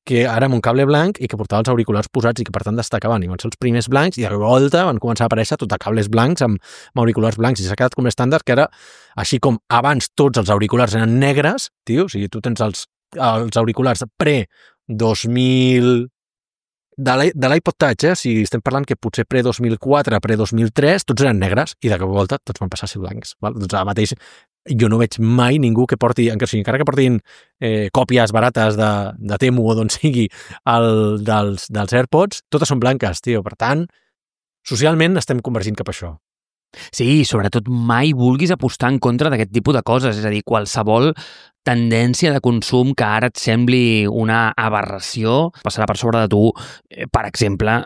que ara amb un cable blanc i que portava els auriculars posats i que per tant destacaven, i van ser els primers blancs i de volta van començar a aparèixer tot a cables blancs amb, amb auriculars blancs i s'ha quedat com estàndard que era, així com abans tots els auriculars eren negres, tio, o sigui, tu tens els, els auriculars pre dos mil de l'iPod Touch, eh? Si estem parlant que potser pre dos mil quatre, pre dos mil tres, tots eren negres i de cap volta tots van passar a ser blancs. Val? Doncs ara mateix jo no veig mai ningú que porti, encara que portin eh, còpies barates de, de Temu o d'on sigui el, dels, dels AirPods, totes són blanques, tio. Per tant, socialment estem convergint cap a això. Sí, sobretot mai vulguis apostar en contra d'aquest tipus de coses, és a dir, qualsevol tendència de consum que ara et sembli una aberració passarà per sobre de tu. Per exemple,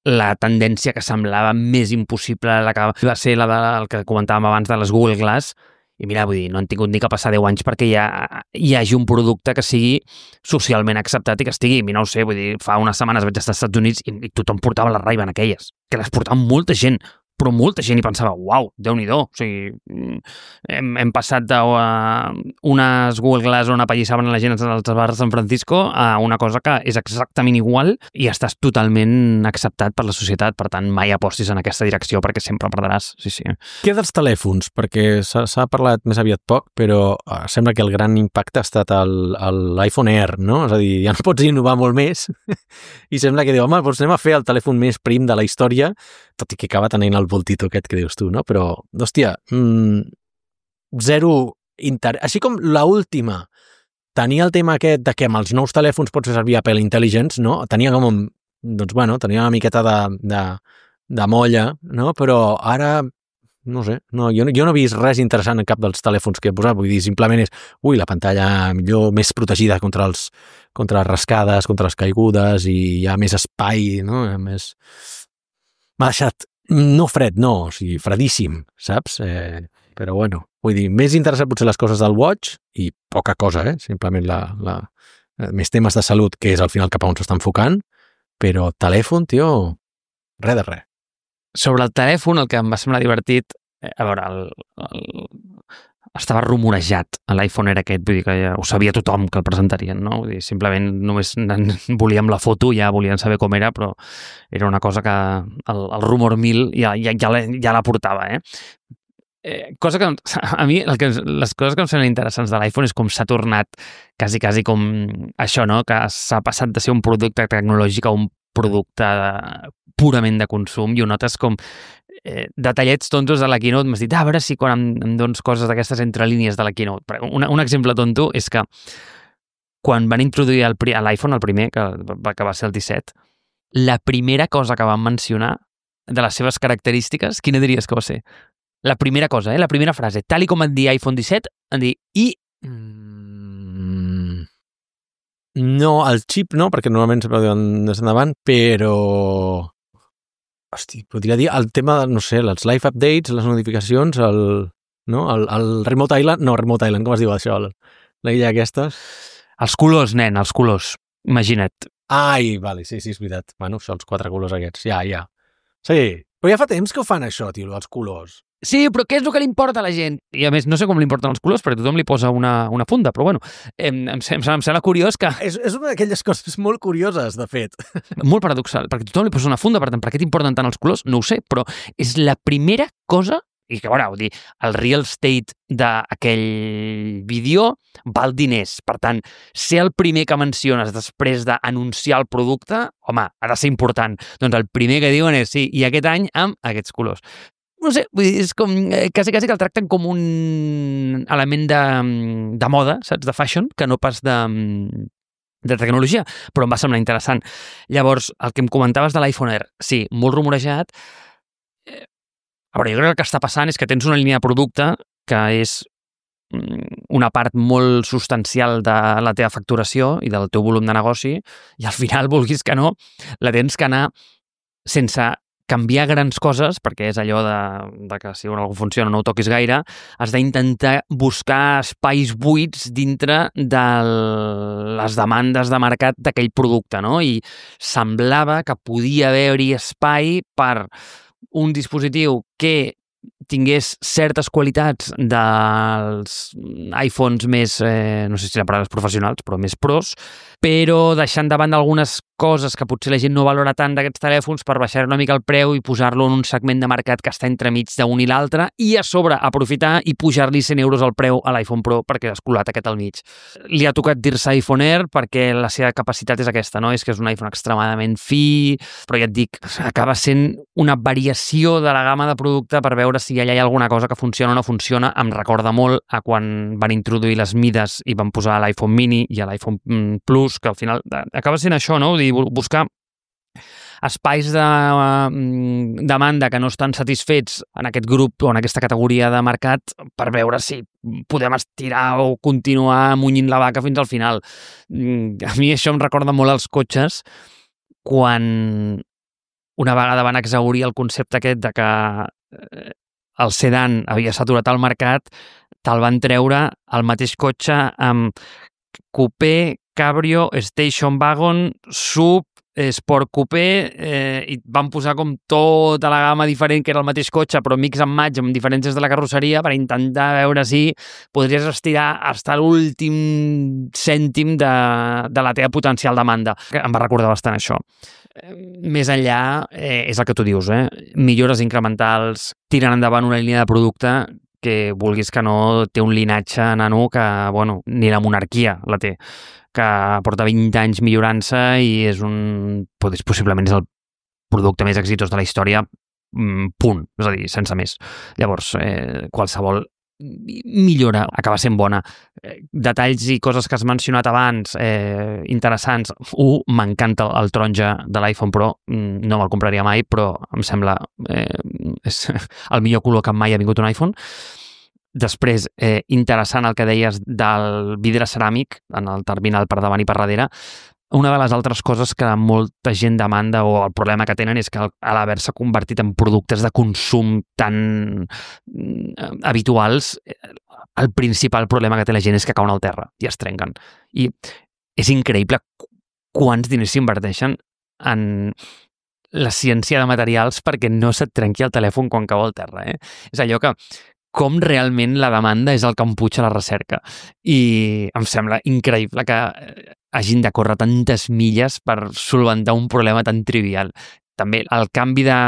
la tendència que semblava més impossible, la que va ser la del que comentàvem abans de les Google Glass, i mira, vull dir, no han tingut ni que passar deu anys perquè ja hi hagi un producte que sigui socialment acceptat i que estigui, no ho sé, vull dir, fa unes setmanes vaig estar als Estats Units i, i tothom portava les Ray-Ban aquelles, que les portava molta gent, però molta gent hi pensava, uau, Déu-n'hi-do, o sigui, hem, hem passat d'unes Google Glass on apallissaven la gent als bars de San Francisco a una cosa que és exactament igual i estàs totalment acceptat per la societat, per tant, mai apostis en aquesta direcció perquè sempre perdràs, sí, sí. Què dels telèfons? Perquè s'ha parlat més aviat poc, però sembla que el gran impacte ha estat l'iPhone Air, no? És a dir, ja no pots innovar molt més i sembla que diu, home, doncs anem a fer el telèfon més prim de la història, tot i que acaba tenint el voltito aquest que dius tu, no? Però, hòstia, mmm, zero interès. Així com l'última tenia el tema aquest de que amb els nous telèfons pots fer servir Apple Intelligence, no? Tenia com, doncs, bueno, tenia una miqueta de, de, de molla, no? Però ara, no sé, no, jo, jo no he vist res interessant en cap dels telèfons que he posat, vull dir, simplement és, ui, la pantalla millor, més protegida contra els contra les rascades, contra les caigudes i hi ha més espai, no? Més... M'ha deixat no fred, no, o sigui, fredíssim, saps? Eh, però bueno, vull dir, més interessant potser les coses del Watch i poca cosa, eh? Simplement la, la, més temes de salut, que és al final cap a on s'està enfocant, però telèfon, tio, res de res. Sobre el telèfon, el que em va semblar divertit, a veure, el, el, estava rumorejat a l'iPhone era aquest, vull dir que ja ho sabia tothom que el presentarien, no? Vull dir, simplement només volíem la foto, ja volien saber com era, però era una cosa que el, el rumor mil ja, ja, ja, la, ja la portava, eh? Eh, cosa que a mi el que, les coses que em semblen interessants de l'iPhone és com s'ha tornat quasi, quasi com això, no? Que s'ha passat de ser un producte tecnològic a un producte purament de consum i ho notes com eh, detallets tontos de la Keynote. M'has dit, ah, a veure si quan em, em dones coses d'aquestes entre línies de la Keynote. Un, un exemple tonto és que quan van introduir l'iPhone, el primer, que, que va ser el disset, la primera cosa que van mencionar de les seves característiques, quina diries que va ser? La primera cosa, eh? La primera frase, tal i com et dir iPhone disset, en dir, i... Mm, no, el xip no, perquè normalment sempre ho diuen des endavant, però... Hosti, podria dir el tema, no sé, els live updates, les notificacions, el... No? El, el Remote Island, no, Remote Island, com es diu això? El, la illa aquesta? Els colors, nen, els colors. Imagina't. Ai, vale, sí, sí, és veritat. Bueno, això, els quatre colors aquests, ja, ja. Sí, però ja fa temps que ho fan això, tio, els colors. Sí, però què és el que li importa a la gent? I a més, no sé com li importen els colors, perquè tothom li posa una, una funda, però bueno, em, em, em, em sembla curiós que... És, és una d'aquelles coses molt curioses, de fet. Molt paradoxal, perquè tothom li posa una funda, per tant, per què t'importen tant els colors? No ho sé, però és la primera cosa i que, bueno, vull dir, el real estate d'aquell vídeo val diners. Per tant, ser el primer que menciones després d'anunciar el producte, home, ha de ser important. Doncs el primer que diuen és, sí, i aquest any amb aquests colors. No sé, vull dir, és com, eh, quasi, quasi que el tracten com un element de, de moda, saps, de fashion, que no pas de, de tecnologia, però em va semblar interessant. Llavors, el que em comentaves de l'iPhone Air, sí, molt rumorejat. Eh, a veure, jo crec que el que està passant és que tens una línia de producte que és una part molt substancial de la teva facturació i del teu volum de negoci, i al final, vulguis que no, la tens que anar sense canviar grans coses, perquè és allò de, de que si alguna cosa funciona no ho toquis gaire, has d'intentar buscar espais buits dintre de les demandes de mercat d'aquell producte, no? I semblava que podia haver-hi espai per un dispositiu que tingués certes qualitats dels iPhones més, eh, no sé si la paraula és professionals, però més pros, però deixant de banda algunes coses que potser la gent no valora tant d'aquests telèfons per baixar una mica el preu i posar-lo en un segment de mercat que està entremig d'un i l'altre, i a sobre aprofitar i pujar-li cent euros al preu a l'iPhone Pro perquè has colat aquest al mig. Li ha tocat dir-se iPhone Air perquè la seva capacitat és aquesta, no? És que és un iPhone extremadament fi, però ja et dic, acaba sent una variació de la gamma de producte per veure si allà hi ha alguna cosa que funciona o no funciona. Em recorda molt a quan van introduir les mides i van posar l'iPhone mini i l'iPhone Plus, que al final acaba sent això, no? Buscar espais de demanda que no estan satisfets en aquest grup o en aquesta categoria de mercat per veure si podem estirar o continuar munyint la vaca fins al final. A mi això em recorda molt els cotxes quan una vegada van exhaurir el concepte aquest de que el sedan havia saturat el mercat, te'l van treure el mateix cotxe amb coupé, cabrio, station wagon, sub, sport coupé, eh, i van posar com tota la gamma diferent, que era el mateix cotxe, però mix and match amb diferències de la carrosseria per intentar veure si podries estirar fins a l'últim cèntim de, de la teva potencial demanda. Em va recordar bastant això. Més enllà, eh, és el que tu dius, eh? Millores incrementals, tiren endavant una línia de producte que vulguis que no té un linatge nano que, bueno, ni la monarquia la té, que porta vint anys millorant-se i és un... possiblement és el producte més exitós de la història, punt, és a dir, sense més. Llavors, eh, qualsevol millora acaba sent bona. Detalls i coses que has mencionat abans, eh, interessants. Un, m'encanta el taronja de l'iPhone Pro, no me'l compraria mai, però em sembla eh, és el millor color que mai ha vingut un iPhone. Després, eh, interessant el que deies del vidre ceràmic en el terminal per davant i per darrere. Una de les altres coses que molta gent demanda o el problema que tenen és que a l'haver-se convertit en productes de consum tan habituals, el principal problema que té la gent és que cauen al terra i es trenquen. I és increïble quants diners s'inverteixen en la ciència de materials perquè no se't trenqui el telèfon quan cau al terra. Eh? És allò que com realment la demanda és el que empuja la recerca. I em sembla increïble que hagin de córrer tantes milles per solventar un problema tan trivial. També el canvi de,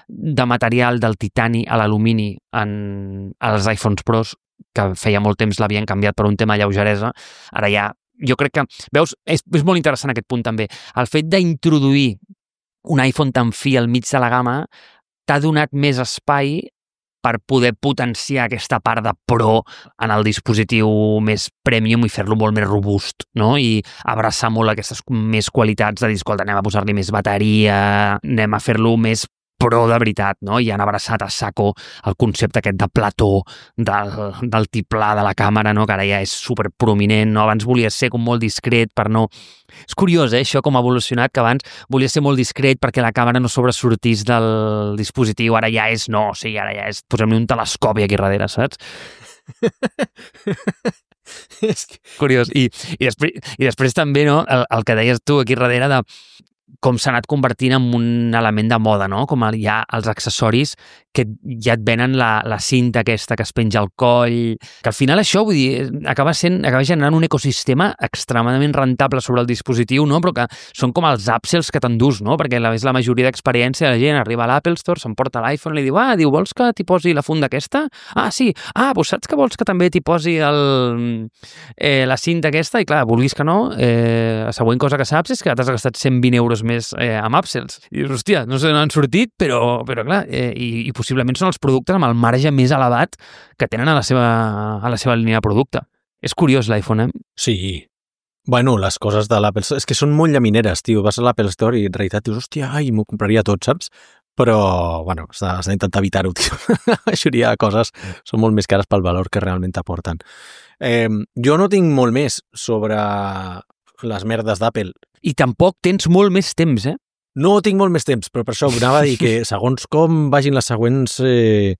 de material del titani a l'alumini en els iPhones Pros, que feia molt temps l'havien canviat per un tema de lleugeresa, ara ja, jo crec que, veus, és, és molt interessant aquest punt també. El fet d'introduir un iPhone tan fi al mig de la gamma t'ha donat més espai per poder potenciar aquesta part de pro en el dispositiu més premium i fer-lo molt més robust, no? I abraçar molt aquestes més qualitats de dir, escolta, anem a posar-li més bateria, anem a fer-lo més pro de veritat, no? I han abraçat a saco el concepte aquest de plató, del, del tiplà de la càmera, no? Que ara ja és superprominent, no? Abans volia ser com molt discret per no... És curiós, eh, això com ha evolucionat, que abans volia ser molt discret perquè la càmera no sobresortís del dispositiu, ara ja és no, o sigui, ara ja és posem-li un telescopi aquí darrere, saps? És curiós. I, i, després, i després també, no, el, el que deies tu aquí darrere de com s'ha anat convertint en un element de moda, no? Com hi ha els accessoris que ja et venen la, la cinta aquesta que es penja al coll, que al final això, vull dir, acaba sent, acaba generant un ecosistema extremadament rentable sobre el dispositiu, no? Però que són com els upsells que t'endús, no? Perquè la, és la majoria d'experiència, la gent arriba a l'Apple Store, s'emporta l'iPhone i li diu, ah, diu, vols que t'hi posi la funda aquesta? Ah, sí. Ah, doncs saps que vols que també t'hi posi el, eh, la cinta aquesta? I clar, vulguis que no, eh, la següent cosa que saps és que t'has gastat cent vint euros més eh, amb upsells. I dius, hòstia, no se n'han sortit, però, però clar, eh, i, i possiblement són els productes amb el marge més elevat que tenen a la seva, a la seva línia de producte. És curiós l'iPhone, eh? Sí. Bueno, les coses de l'Apple Store, és que són molt llamineres, tio. Vas a l'Apple Store i en realitat dius, hòstia, ai, m'ho compraria tot, saps? Però, bueno, has d'intentar evitar-ho, tio. La majoria de coses són molt més cares pel valor que realment t'aporten. Eh, jo no tinc molt més sobre les merdes d'Apple. I tampoc tens molt més temps, eh? No tinc molt més temps, però per això anava a dir que segons com vagin les següents eh,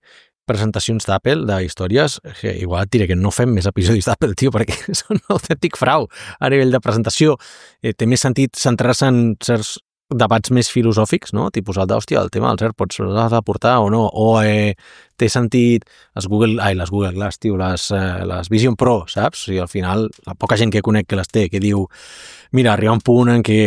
presentacions d'Apple, d'històries, que igual et diré que no fem més episodis d'Apple, tio, perquè són un autèntic frau a nivell de presentació. Eh, té més sentit centrar-se en certs debats més filosòfics, no? Tipus el d'hòstia, el tema dels AirPods l'has de portar o no, o eh, té sentit les Google, ai, les Google Glass, tio, les, eh, les Vision Pro, saps? O sigui, al final, la poca gent que conec que les té, que diu, mira, arriba un punt en què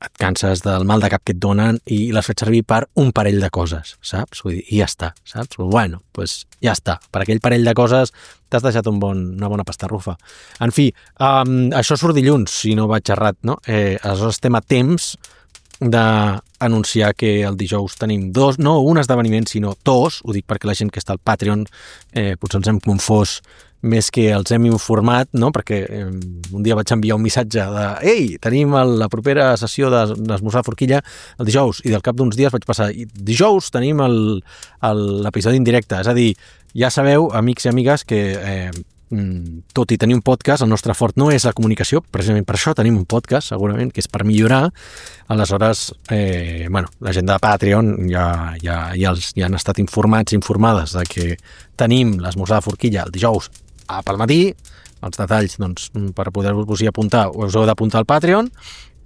et canses del mal de cap que et donen i les fas servir per un parell de coses, saps? Vull dir, i ja està, saps? Bueno, doncs pues ja està. Per aquell parell de coses t'has deixat un bon, una bona pastarrufa. En fi, um, això surt dilluns, si no vaig errat, no? Eh, aleshores estem a temps d'anunciar que el dijous tenim dos, no un esdeveniment, sinó dos, ho dic perquè la gent que està al Patreon eh, potser ens hem confós més que els hem informat, no? Perquè eh, un dia vaig enviar un missatge de ei, tenim el, la propera sessió d'Esmorzar Forquilla el dijous, i del cap d'uns dies vaig passar i dijous tenim l'episodi en directe, és a dir, ja sabeu, amics i amigues, que eh, tot i tenir un podcast, el nostre fort no és la comunicació, precisament per això tenim un podcast, segurament, que és per millorar. Aleshores, eh, bueno, la gent de Patreon ja, ja, ja, els, ja han estat informats i informades de que tenim l'esmorzar de forquilla el dijous a pel matí. Els detalls, doncs, per poder-vos-hi apuntar, us heu d'apuntar al Patreon.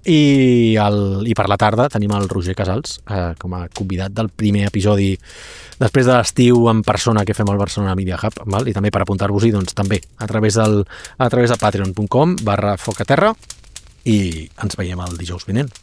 I, el, i per la tarda tenim el Roger Casals eh, com a convidat del primer episodi després de l'estiu en persona que fem al Barcelona Media Hub, val? I també per apuntar-vos-hi doncs, també a través, del, a través de patreon punt com barra focaterra i ens veiem el dijous vinent.